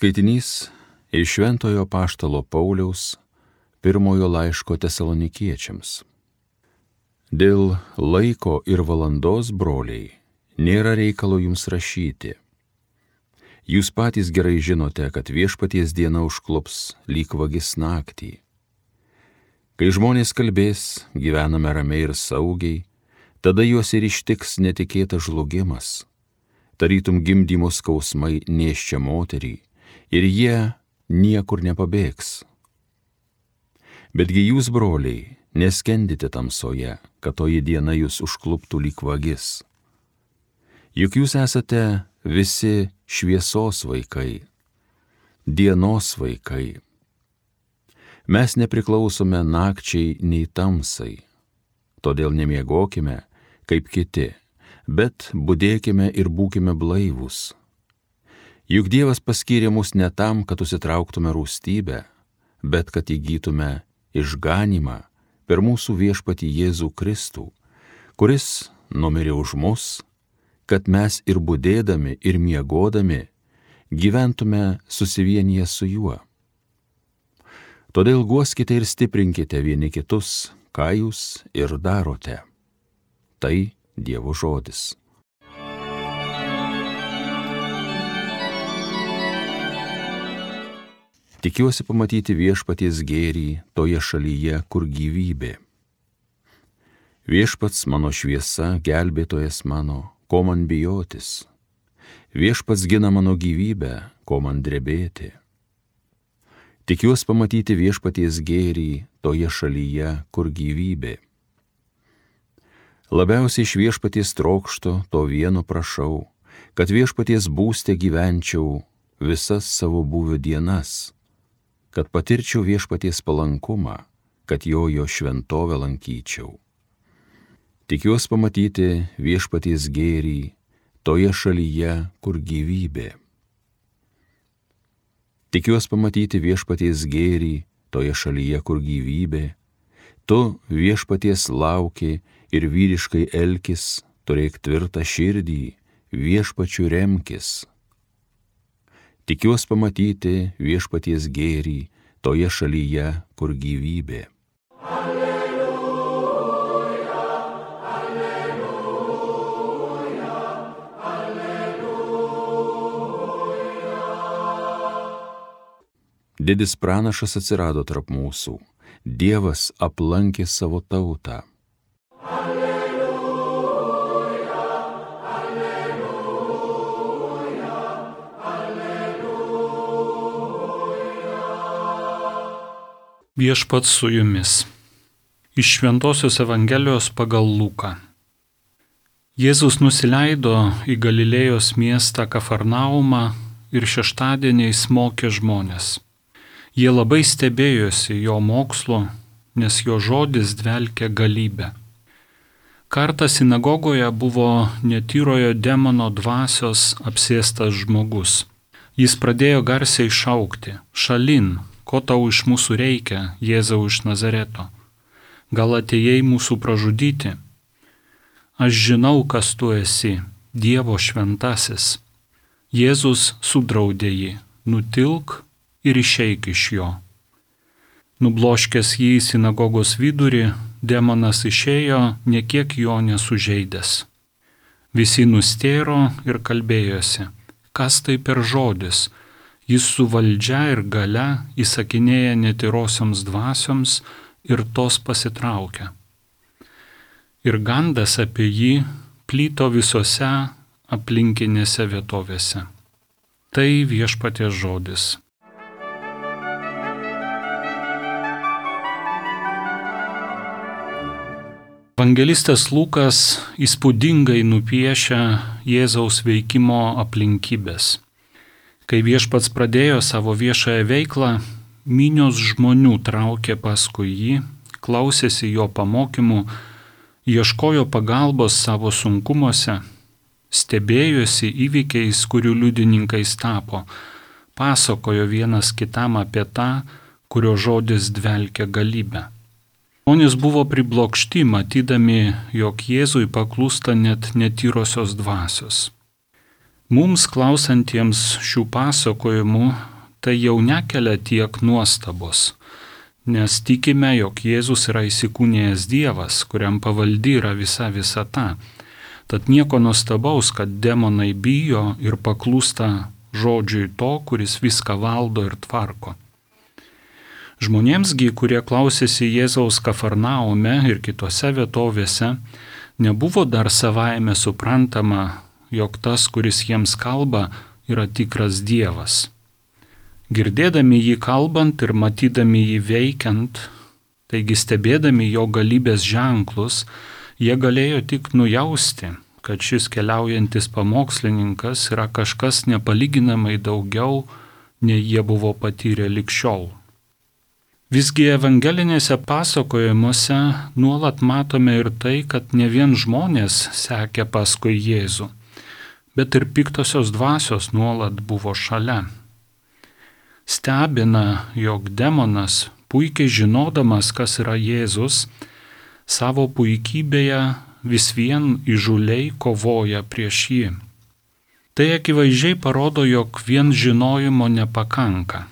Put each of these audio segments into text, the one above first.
Skaitinys iš Šventojo Apaštalo Pauliaus pirmojo laiško Tesalonikiečiams. Dėl laiko ir valandos, broliai, nėra reikalo jums rašyti. Jūs patys gerai žinote, kad viešpaties diena užklups lyg vagis naktį. Kai žmonės kalbės, gyvename ramiai ir saugiai, tada juos ir ištiks netikėtas žlugimas. Tarytum gimdymo skausmai nėščia moterį, ir jie niekur nepabėgs. Betgi jūs, broliai, neskendite tamsoje, kad toji diena jūs užkluptų lyg vagis. Juk jūs esate visi šviesos vaikai, dienos vaikai. Mes nepriklausome nakčiai nei tamsai, todėl nemiegokime kaip kiti, bet budėkime ir būkime blaivūs. Juk Dievas paskyrė mus ne tam, kad užsitrauktume rūstybę, bet kad įgytume išganymą per mūsų viešpatį Jėzų Kristų, kuris numirė už mus, kad mes ir budėdami, ir miegodami gyventume susivienyje su juo. Todėl guoskite ir stiprinkite vieni kitus, ką jūs ir darote. Tai Dievo žodis. Tikiuosi pamatyti viešpaties gėrį toje šalyje, kur gyvybė. Viešpats mano šviesa, gelbėtojas mano, ko man bijotis. Viešpats gina mano gyvybę, ko man drebėti. Tikiuosi pamatyti viešpaties gėrį toje šalyje, kur gyvybė. Labiausiai iš viešpaties trokšto to vieno prašau, kad viešpaties būste gyvenčiau visas savo būvio dienas, kad patirčiau viešpaties palankumą, kad jo šventovę lankyčiau. Tikiuosi pamatyti viešpaties gėrį toje šalyje, kur gyvybė. Tikiuosi pamatyti viešpaties gėrį toje šalyje, kur gyvybė. Tu viešpaties lauki ir vyriškai elkis, turėk tvirtą širdį, viešpačiu remkis. Tikiuosi pamatyti viešpaties gėrį toje šalyje, kur gyvybė. Alleluja, alleluja, alleluja. Didis pranašas atsirado tarp mūsų, Dievas aplankė savo tautą. Viešpats su jumis. Iš Šventosios Evangelijos pagal Luką. Jėzus nusileido į Galilėjos miestą Kafarnaumą ir šeštadieniais mokė žmones. Jie labai stebėjosi jo mokslu, nes jo žodis dvelkė galybę. Kartą sinagogoje buvo netyrojo demono dvasios apsėstas žmogus. Jis pradėjo garsiai šaukti: šalin, ko tau iš mūsų reikia, Jėzau iš Nazareto? Gal atėjai mūsų pražudyti? Aš žinau, kas tu esi, Dievo šventasis. Jėzus sudraudė jį: nutilk ir išeik iš jo. Nubloškęs jį į sinagogos vidurį, demonas išėjo, niekiek jo nesužeidęs. Visi nustėro ir kalbėjosi: kas tai per žodis? Jis su valdžia ir galia įsakinėja netyrosioms dvasioms ir tos pasitraukia. Ir gandas apie jį plyto visose aplinkinėse vietovėse. Tai viešpaties žodis. Evangelistas Lukas įspūdingai nupiešia Jėzaus veikimo aplinkybės. Kai viešpats pradėjo savo viešąją veiklą, minios žmonių traukė paskui jį, klausėsi jo pamokymų, ieškojo pagalbos savo sunkumuose, stebėjosi įvykiais, kurių liudininkais tapo, pasakojo vienas kitam apie tą, kurio žodis dvelkia galybę. Žmonės buvo priblokšti, matydami, jog Jėzui paklūsta net netyrosios dvasios. Mums klausantiems šių pasakojimų tai jau nekelia tiek nuostabos, nes tikime, jog Jėzus yra įsikūnijęs Dievas, kuriam pavaldi yra visa visata. Tad nieko nuostabaus, kad demonai bijo ir paklūsta žodžiui to, kuris viską valdo ir tvarko. Žmonėmsgi, kurie klausėsi Jėzaus Kafarnaume ir kitose vietovėse, nebuvo dar savaime suprantama, jog tas, kuris jiems kalba, yra tikras Dievas. Girdėdami jį kalbant ir matydami jį veikiant, taigi stebėdami jo galybės ženklus, jie galėjo tik nujausti, kad šis keliaujantis pamokslininkas yra kažkas nepalyginamai daugiau, nei jie buvo patyrę lig šiol. Visgi evangelinėse pasakojimuose nuolat matome ir tai, kad ne vien žmonės sekė paskui Jėzų, bet ir piktosios dvasios nuolat buvo šalia. Stebina, jog demonas, puikiai žinodamas, kas yra Jėzus, savo puikybėje vis vien įžūliai kovoja prieš jį. Tai akivaizdžiai parodo, jog vien žinojimo nepakanka.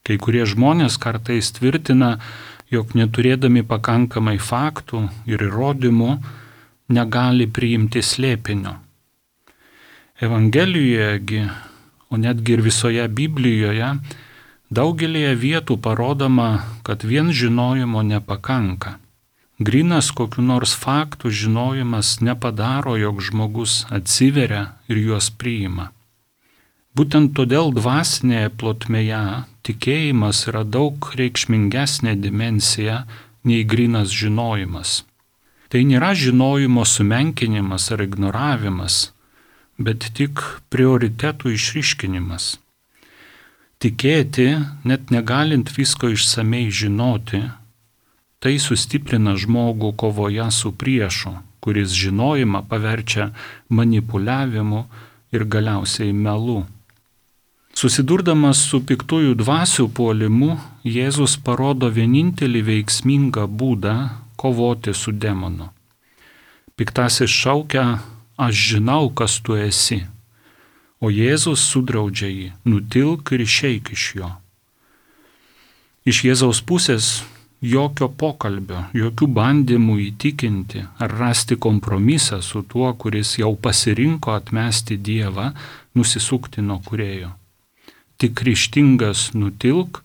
Kai kurie žmonės kartais tvirtina, jog neturėdami pakankamai faktų ir įrodymų negali priimti slėpinio. Evangelijojegi, o netgi ir visoje Biblijoje, daugelėje vietų parodoma, kad vien žinojimo nepakanka. Grynas kokių nors faktų žinojimas nepadaro, jog žmogus atsiveria ir juos priima. Būtent todėl dvasinėje plotmėje tikėjimas yra daug reikšmingesnė dimensija nei grynas žinojimas. Tai nėra žinojimo sumenkinimas ar ignoravimas, bet tik prioritetų išryškinimas. Tikėti, net negalint visko išsamei žinoti, tai sustiprina žmogų kovoje su priešu, kuris žinojimą paverčia manipuliavimu ir galiausiai melu. Susidurdamas su piktųjų dvasių puolimu, Jėzus parodo vienintelį veiksmingą būdą kovoti su demonu. Piktasis šaukia: aš žinau, kas tu esi, o Jėzus sudraudžia jį: nutilk ir išeik iš jo. Iš Jėzaus pusės jokio pokalbio, jokių bandymų įtikinti ar rasti kompromisą su tuo, kuris jau pasirinko atmesti Dievą, nusisukti nuo Kūrėjo. Tik ryžtingas nutilk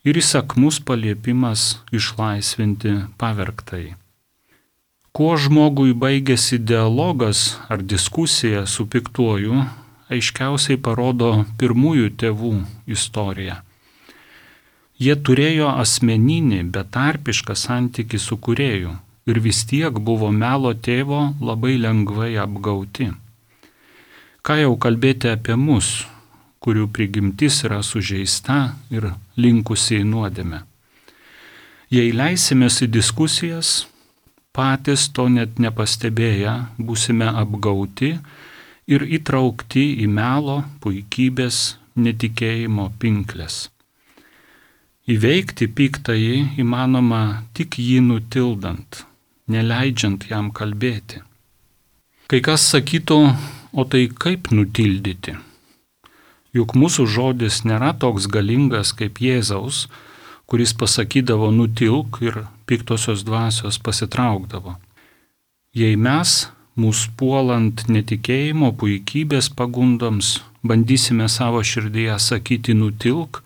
ir įsakmus paliepimas išlaisvinti pavergtąjį. Kuo žmogui baigėsi dialogas ar diskusija su piktuoju, aiškiausiai parodo pirmųjų tėvų istorija. Jie turėjo asmeninį, betarpišką santykį su Kūrėju ir vis tiek buvo melo tėvo labai lengvai apgauti. Ką jau kalbėti apie mus, kurių prigimtis yra sužeista ir linkusi į nuodėmę. Jei leisimės į diskusijas, patys to net nepastebėję būsime apgauti ir įtraukti į melo, puikybės, netikėjimo pinkles. Įveikti piktąjį įmanoma tik jį nutildant, neleidžiant jam kalbėti. Kai kas sakytų, o tai kaip nutildyti? Juk mūsų žodis nėra toks galingas kaip Jėzaus, kuris pasakydavo nutilk ir piktosios dvasios pasitraukdavo. Jei mes, mūsų puolant netikėjimo, puikybės pagundoms, bandysime savo širdyje sakyti nutilk,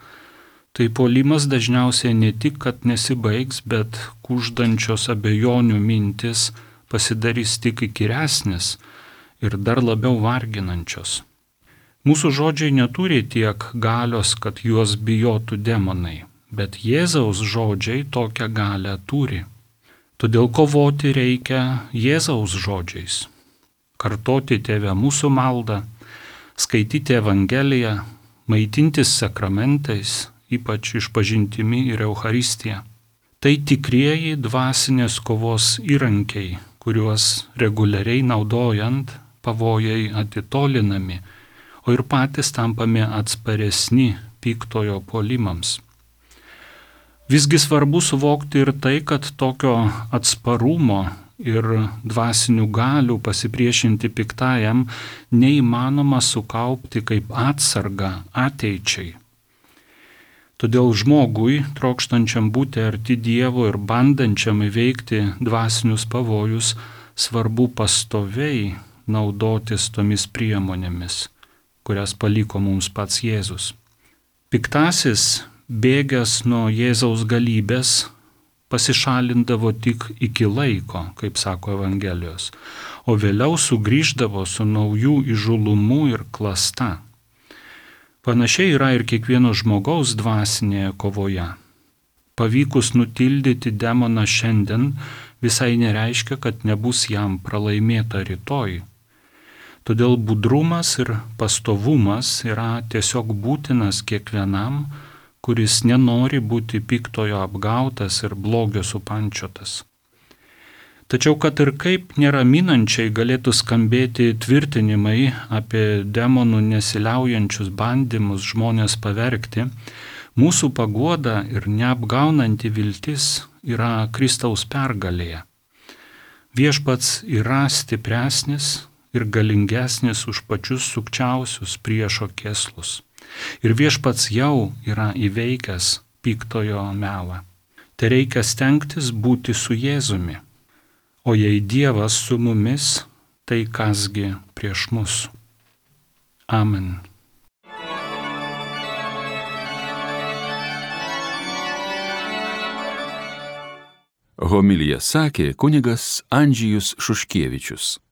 tai puolimas dažniausiai ne tik, kad nesibaigs, bet kuždančios abejonių mintis pasidarys tik įkyresnis ir dar labiau varginančios. Mūsų žodžiai neturi tiek galios, kad juos bijotų demonai, bet Jėzaus žodžiai tokią galią turi. Todėl kovoti reikia Jėzaus žodžiais. Kartoti Tėve mūsų maldą, skaityti Evangeliją, maitintis sakramentais, ypač išpažintimi ir Eucharistija. Tai tikrieji dvasinės kovos įrankiai, kuriuos reguliariai naudojant pavojai atitolinami, o ir patys tampame atsparesni piktojo puolimams. Visgi svarbu suvokti ir tai, kad tokio atsparumo ir dvasinių galių pasipriešinti piktajam neįmanoma sukaupti kaip atsargą ateičiai, Todėl žmogui, trokštančiam būti arti Dievo ir bandančiam įveikti dvasinius pavojus, svarbu pastoviai naudotis tomis priemonėmis, kurias paliko mums pats Jėzus. Piktasis, bėgęs nuo Jėzaus galybės, pasišalindavo tik iki laiko, kaip sako Evangelijos, o vėliau sugrįždavo su naujų įžulumu ir klasta. Panašiai yra ir kiekvieno žmogaus dvasinėje kovoje. Pavykus nutildyti demoną šiandien visai nereiškia, kad nebus jam pralaimėta rytoj. Todėl budrumas ir pastovumas yra tiesiog būtinas kiekvienam, kuris nenori būti piktojo apgautas ir blogio supančiotas. Tačiau kad ir kaip neraminančiai galėtų skambėti tvirtinimai apie demonų nesiliaujančius bandymus žmonės pavergti, mūsų paguoda ir neapgaunanti viltis yra Kristaus pergalėje. Viešpats yra stipresnis ir galingesnis už pačius sukčiausius priešo kėslus. Ir viešpats jau yra įveikęs piktojo melą. Tai reikia stengtis būti su Jėzumi. O jei Dievas su mumis, tai kasgi prieš mus. Amen. Homiliją sakė kunigas Andžejus Šuškievičius.